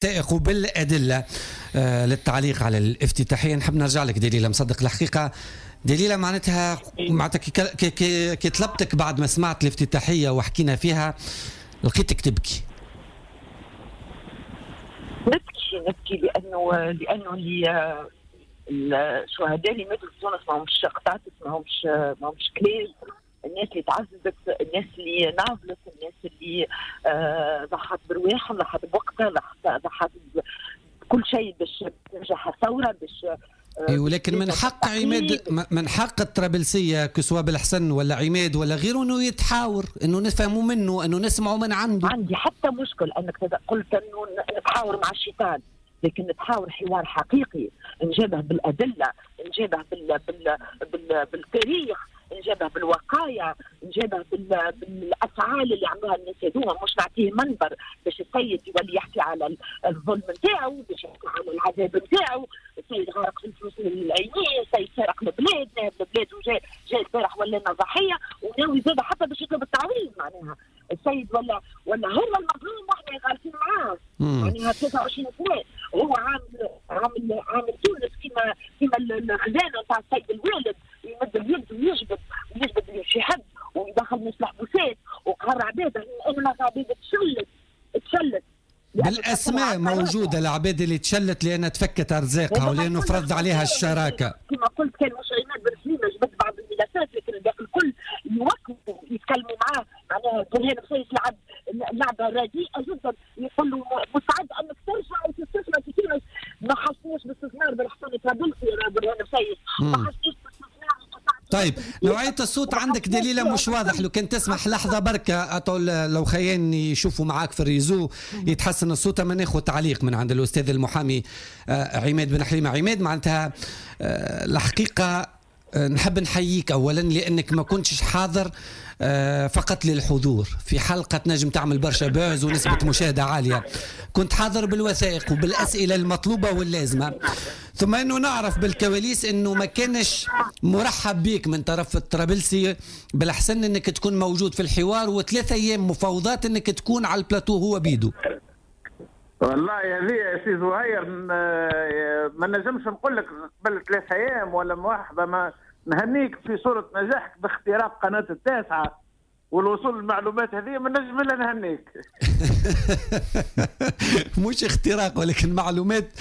بالوثائق وبالأدلة للتعليق على الافتتاحية. نحب نرجع لك دليلة مصدق. الحقيقة دليلة معناتها كي طلبتك بعد ما سمعت الافتتاحية وحكينا فيها لقيتك تبكي. نبكي لأنه اللي الشهداء اللي ماتوا في تونس ماهمش قطاطس، ماهمش كلاب. الناس اللي تعذبت، الناس اللي ناضلت، الناس اللي ضحت برواحهم، ضحت بوقتها، ضحت بكل شيء باش تنجح الثورة، باش ولكن من حق عماد، من حق الطرابلسيه كسوا بالحسن ولا عماد ولا غيره انه يتحاور، انه نفهموا منه، انه نسمعوا من عنده. عندي حتى مشكل انك قلت انه نتحاور مع الشيطان، لكن نتحاور حوار حقيقي، نجابة بالادلة، نجابة بالتاريخ، نجابة بالوقايع، نجابة بالافعال اللي عملوها الناس هذوما، مش نعطيه منبر باش السيد يولي يحكي على الظلم نتاعو، باش يحكي على العذاب نتاعو. السيد غارق في الفلوس العينية، السيد سرق البلاد، نهب البلاد وجاء البارح ولا ضحية وناوي زاد حتى باش يطلب التعويض. معناها السيد ولا هو المظلوم واحنا غالطين معاه. معناها 23 سنة وهو عامل تونس كيما الخزانة نتاع السيد الوالد، يمد اليد ويجبد شي حد ويدخل ناس الحبوسات وقهر عباد. انا عباد تشلت بالاسماء موجودة، العباد اللي تشلت لانها تفكت ارزاقها ولانه فرض عليها الشراكة. كما قلت كان مش عماد بن حليمة جبد بعض الملفات، لكن الباقي الكل يوقفوا يتكلموا معاه. معناها برهان بسيس لعب لعبه رديئة جدا، يقول له مستعد انك ترجع وتستثمر في تونس. ما حسناش باستثمار بالحسن الطرابلسي برهان بسيس، ما حسناش باستثمار. طيب نوعية الصوت عندك دليلة مش واضح، لو كان تسمح لحظة بركة أطول لو خيان يشوفوا معاك في ال réseau يتحسن الصوت. ما ناخذ تعليق من عند الأستاذ المحامي عماد بن حليمة. عماد، معناتها الحقيقة نحب نحييك أولا لأنك ما كنتش حاضر فقط للحضور في حلقة تنجم تعمل برشا buzz ونسبة مشاهدة عالية، كنت حاضر بالوثائق وبالأسئلة المطلوبة واللازمة. ثم أنه نعرف بالكواليس أنه ما كانش مرحب بك من طرف الطرابلسي، بالأحسن أنك تكون موجود في الحوار، وثلاثة أيام مفاوضات أنك تكون على البلاتو هو بيدو. والله هذه يا سي زهير ما نجمش نقول لك قبل 3 أيام ولا مرحبا، ما نهنيك في صورة نجاحك باختراق قناة التاسعة والوصول للمعلومات هذه، ما نجم الا نهنيك. مش اختراق ولكن معلومات.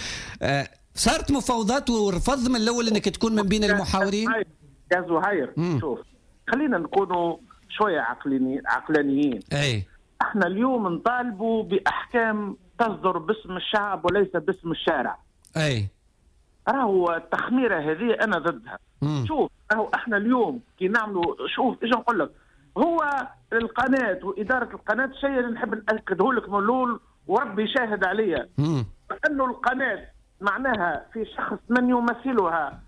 صارت مفاوضات ورفض من الاول انك تكون من بين المحاورين. يا زهير شوف، خلينا نكونوا شوية عقلانيين. اي احنا اليوم نطالبوا باحكام تصدر باسم الشعب وليس باسم الشارع. اي راهو التخميره هذه انا ضدها. شوف راهو احنا اليوم كي نعملوا، شوف ايش نقول لك، هو القناة واداره القناة الشيء اللي نحب ناكده لك من الاول وربي شاهد عليا، انه القناة معناها في شخص من يمثلها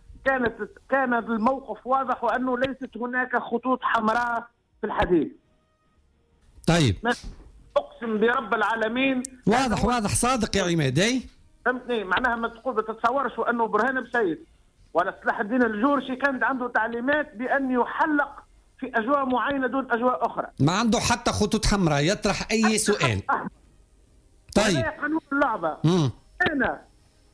كان الموقف واضح وانه ليست هناك خطوط حمراء في الحديث. طيب اقسم برب العالمين واضح واضح صادق يا عماد. اي فهمتني، معناها ما تقول ما تتصورش انه برهان بسيس ولا صلاح الدين الجورشي كانت عنده تعليمات بان يحلق في اجواء معينة دون اجواء اخرى. ما عنده حتى خطوط حمراء، يطرح اي سؤال. طيب قانون اللعبة. انا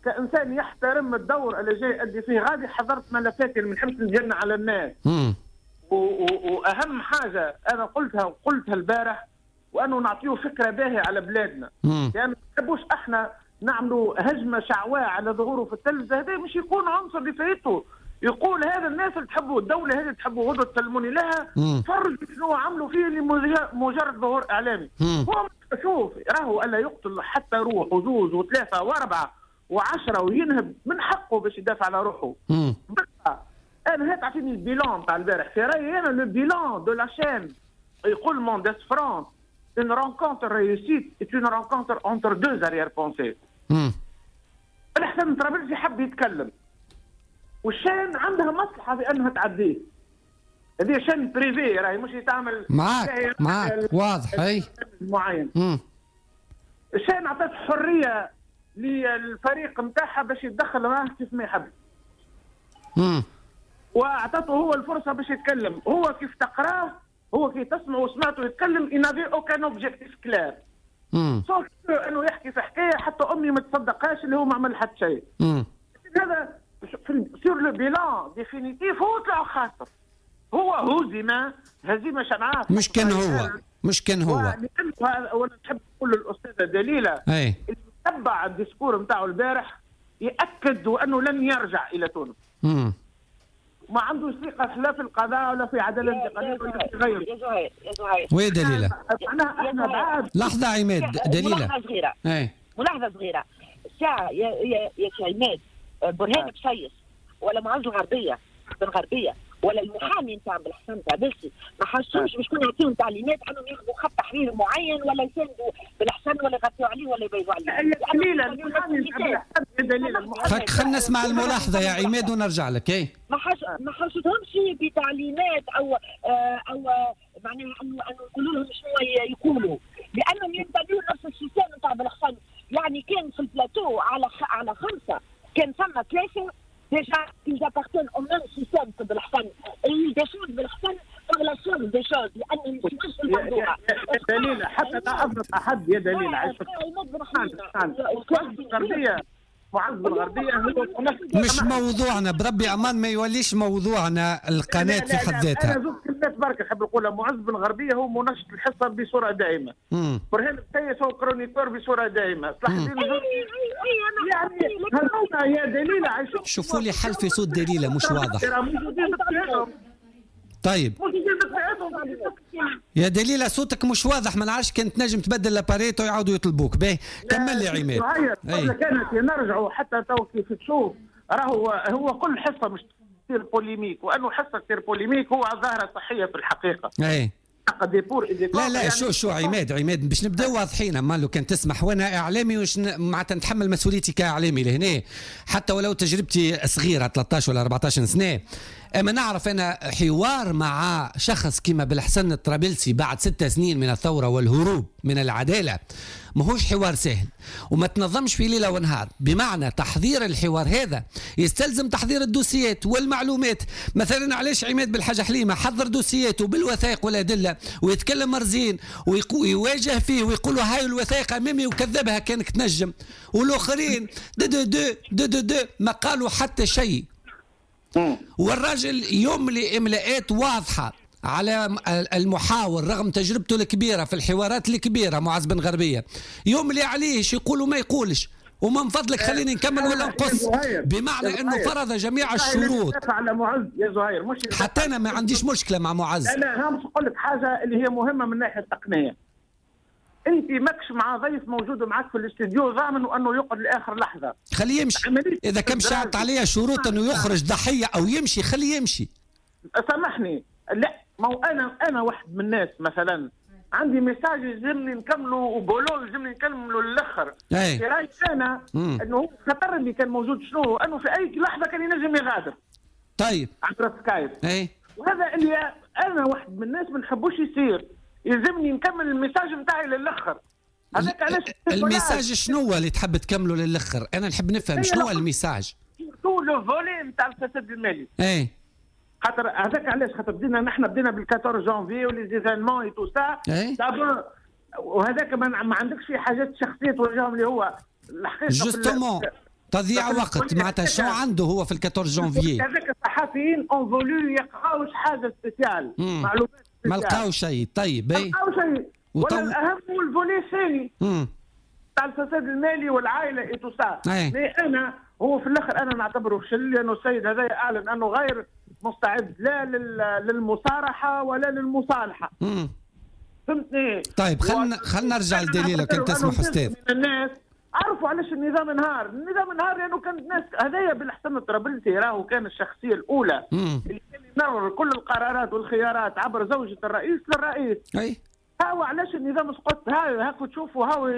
كانسان يحترم الدور اللي جاي يؤدي فيه غادي حضرت ملفاتي اللي ما نحبش نجن على الناس. واهم حاجة انا قلتها وقلتها البارح، وانه نعطيه فكرة باهيه على بلادنا. يعني ما نحبوش احنا نعملوا هجمة شعواء على ظهوره في التلفزة، هذا مش يكون عنصر لفايته. يقول هذا الناس اللي تحبوا الدولة هذه تحبوا غدوه تسلموني لها، فرجوا شنو عملوا فيه لمجرد ظهور اعلامي. هو شوف راهو الا يقتل حتى روح وزوز وثلاثة واربعة و10 وينهب، من حقه باش يدافع على روحه. انا هات اعطيني ال bilan تاع البارح، في رايي انا le bilan de la chaîne يقول Mendès France une rencontre réussie est une rencontre entre deux arrière-pensées. الحسن الطرابلسي حب يتكلم، وال chaîne عندها مصلحة في انها تعديه. هذه chaîne privée راهي مش تعمل معاك واضح اي معين. ال chaîne عطت حرية للفريق نتاعها باش يتدخل معاه كيف ما يحب. واعطته هو الفرصة باش يتكلم، هو كيف تقراه، هو كي تسمع وسمعته يتكلم il n'avait aucun objectif clair. sauf انه يحكي في حكاية حتى امي ما تصدقهاش اللي هو ما عمل حتى شيء. هذا sur le bilan définitif هو طلع خاسر، هو هزم هزيمة شنعاء. مش كان هو، مش كان هو. وانا نحب نقول للاستاذه دليله اللي تبع ال discours نتاعو البارح ياكد انه لن يرجع الى تونس. ما عندوش ثقة لا في القضاء ولا في عدالة انتقالية ولا في غيره. يا زهير يا زهير وين دليله؟ احنا بعد لحظة عماد دليله ملاحظة صغيرة. ملاحظة صغيرة ساعة يا يا عماد، برهان بسيس ولا معز الغربية بن غربية ولا المحامي نتاع بالحسن طرابلسي ما حسوش باش شكون يعطيهم تعليمات انهم ياخذوا خط تحرير معين ولا يساندوا بالحسن ولا يغطيوا عليه ولا يبيضوا عليه. خلينا نسمع الملاحظة يا عماد ونرجع لك. اي ما حسيتهمش بتعليمات او معناها انه يقولوا لهم شنو يقولوا، لانهم ينتميوا لنفس ال système نتاع بالحسن. يعني كان في البلاتو على خمسة كان ثم ثلاثة déjà ils appartiennent au même système que Belhassan et ils défendent Belhassan par la force des choses لأنهم مش في المنظومة. يا دليلة حتى لا أظلم أحد يا دليلة. الغربية معز الغربية هو مش موضوعنا بربي أمان، ما يوليش موضوعنا القناة في حد ذاتها. أنا زوج كلمات برك نحب نقولها. معز بن غربية هو منشط الحصة بصورة دائمة. برهان بسيس هو chroniqueur بصورة دائمة. صلاح الدين يعني هذوما يا دليلة شوفوا لي حل في صوت دليلة مش واضح. طيب يا دليلة صوتك مش واضح، ما نعرفش كان تنجم تبدل l'appareil ويعاودوا يطلبوك. باهي كمل لي عماد. كانت نرجعوا حتى تو كيف تشوف راهو هو كل حصة مش تصير polémique، وانه حصة تصير polémique هو ظاهره صحية في الحقيقة. اي لا لا يعني شو عماد باش نبداو واضحين، اما لو كان تسمح وانا اعلامي وش معناتها نتحمل مسؤوليتي كاعلامي لهنا حتى ولو تجربتي صغيرة 13 ولا 14 سنة، اما نعرف انا حوار مع شخص كما بالحسن الطرابلسي بعد 6 سنين من الثورة والهروب من العدالة ماهوش حوار سهل وما تنظمش في ليلة ونهار. بمعنى تحضير الحوار هذا يستلزم تحضير الدوسيات والمعلومات. مثلا علاش عماد بالحاجة حليمة حضر دوسياته بالوثائق والادلة ويتكلم مرزين ويواجه فيه ويقول له هاي الوثائق امامي وكذبها كانك تنجم، والاخرين دو دو دو دو دو, دو ما قالوا حتى شيء. والراجل يملي املاءات واضحة على المحاور رغم تجربته الكبيرة في الحوارات الكبيرة معز بن غربية، يملي عليه شو يقول وما يقولش. ومن فضلك خليني نكمل ولا نقص، بمعنى انه فرض جميع الشروط على معز يا زهير. مش حتى انا ما عنديش مشكلة مع معز. انا باش نقول لك حاجة اللي هي مهمة من الناحية التقنية. انت ماكش مع ضيف موجود معك في الاستديو ضامن انه يقعد لاخر لحظة، خليه يمشي. اذا كان شرط عليه شروط انه يخرج ضحية او يمشي خليه يمشي. سامحني، لا ما هو انا واحد من الناس مثلا عندي message يلزمني نكمله وبولو يلزمني نكمله للاخر. في رايي انا انه هو الخطر اللي كان موجود شنو؟ انه في اي لحظة كان ينجم يغادر. طيب عبر سكايب. وهذا اللي انا واحد من الناس ما نحبوش يصير، يلزمني نكمل ال message نتاعي للاخر. هذاك علاش ال message شنو اللي تحب تكمله للاخر؟ انا نحب نفهم شنو ال message. surtout le volet نتاع الفساد المالي. اي خاطر هذاك علاش خاطر بدينا نحن بدينا بال 14 جانفي و les événements et tout ça. وهذاك ما عندكش فيه حاجات شخصية توجههم اللي هو الحقيقة justement تضييع وقت. معناتها شنو عنده هو في 14 جانفي؟ هذاك الصحفيين ont voulu يقراوش حاجة spéciale، معلومات ما لقاو شيء. طيب ما لقاو شيء. ولا الاهم هو ال volet الثاني تاع الفساد المالي والعائلة et tout ça. mais انا هو في الاخر انا نعتبره فشل، لانه السيد هذا اعلن انه غير مستعد لا للمصارحه ولا للمصالحة. فهمتني؟ طيب خلينا نرجع لدليلة كان تسمح استاذ. الناس عرفوا علاش النظام انهار، النظام انهار لانه كانت الناس هذايا بالحسن الطرابلسي راهو كان الشخصية الاولى اللي كان يمرر كل القرارات والخيارات عبر زوجة الرئيس للرئيس. اي هاو علاش النظام سقط. هاكو تشوفوا هاو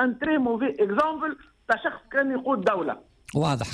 un très mauvais exemple تاع شخص كان يقود دولة. واضح.